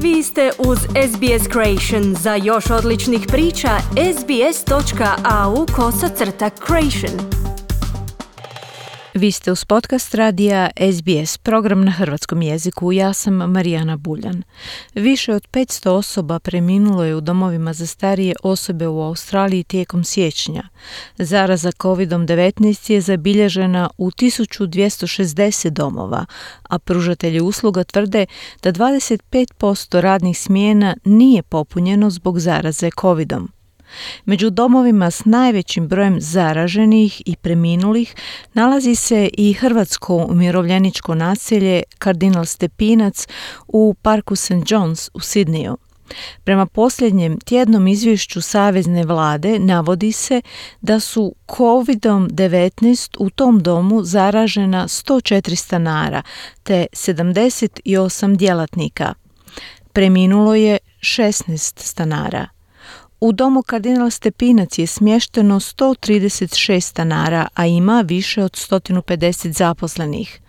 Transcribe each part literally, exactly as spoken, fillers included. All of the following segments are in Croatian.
Vi ste uz S B S Creation. Za još odličnih priča, sbs.au kosacrta creation. Vi ste uz podcast radija S B S, program na hrvatskom jeziku. Ja sam Marijana Buljan. Više od petsto osoba preminulo je u domovima za starije osobe u Australiji tijekom siječnja. Zaraza kovid devetnaest je zabilježena u tisuću dvjesto šezdeset domova, a pružatelji usluga tvrde da dvadeset pet posto radnih smjena nije popunjeno zbog zaraze covidom. Među domovima s najvećim brojem zaraženih i preminulih nalazi se i hrvatsko umirovljeničko naselje Kardinal Stepinac u parku Saint John's u Sidneyu. Prema posljednjem tjednom izvješću Savezne vlade navodi se da su kovid devetnaest u tom domu zaražena sto četiri stanara te sedamdeset osam djelatnika. Preminulo je šesnaest stanara. U domu Kardinal Stepinac je smješteno sto trideset šest stanara, a ima više od sto pedeset zaposlenih.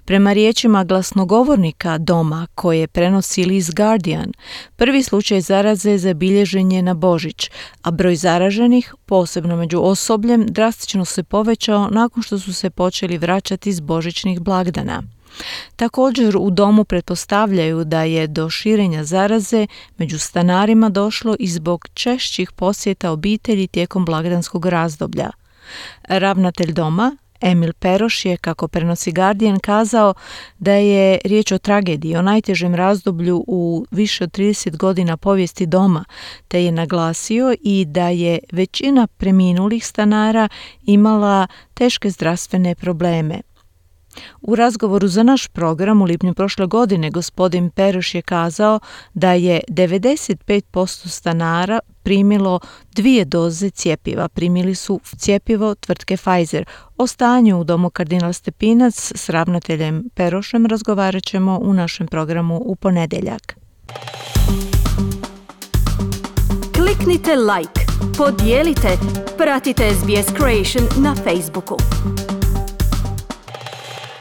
Prema riječima glasnogovornika doma koje prenosi list Guardian, prvi slučaj zaraze zabilježen je na Božić, a broj zaraženih, posebno među osobljem, drastično se povećao nakon što su se počeli vraćati s božićnih blagdana. Također u domu pretpostavljaju da je do širenja zaraze među stanarima došlo i zbog češćih posjeta obitelji tijekom blagdanskog razdoblja. Ravnatelj doma, Emil Peroš, je, kako prenosi Guardian, kazao da je riječ o tragediji, o najtežem razdoblju u više od trideset godina povijesti doma, te je naglasio i da je većina preminulih stanara imala teške zdravstvene probleme. U razgovoru za naš program u lipnju prošle godine gospodin Peroš je kazao da je devedeset pet posto stanara primilo dvije doze cjepiva. Primili su cjepivo tvrtke Pfizer. O stanju u domu Kardinal Stepinac s ravnateljem Perošem razgovarat ćemo u našem programu u ponedjeljak. Kliknite like, podijelite, pratite S B S Creation na Facebooku.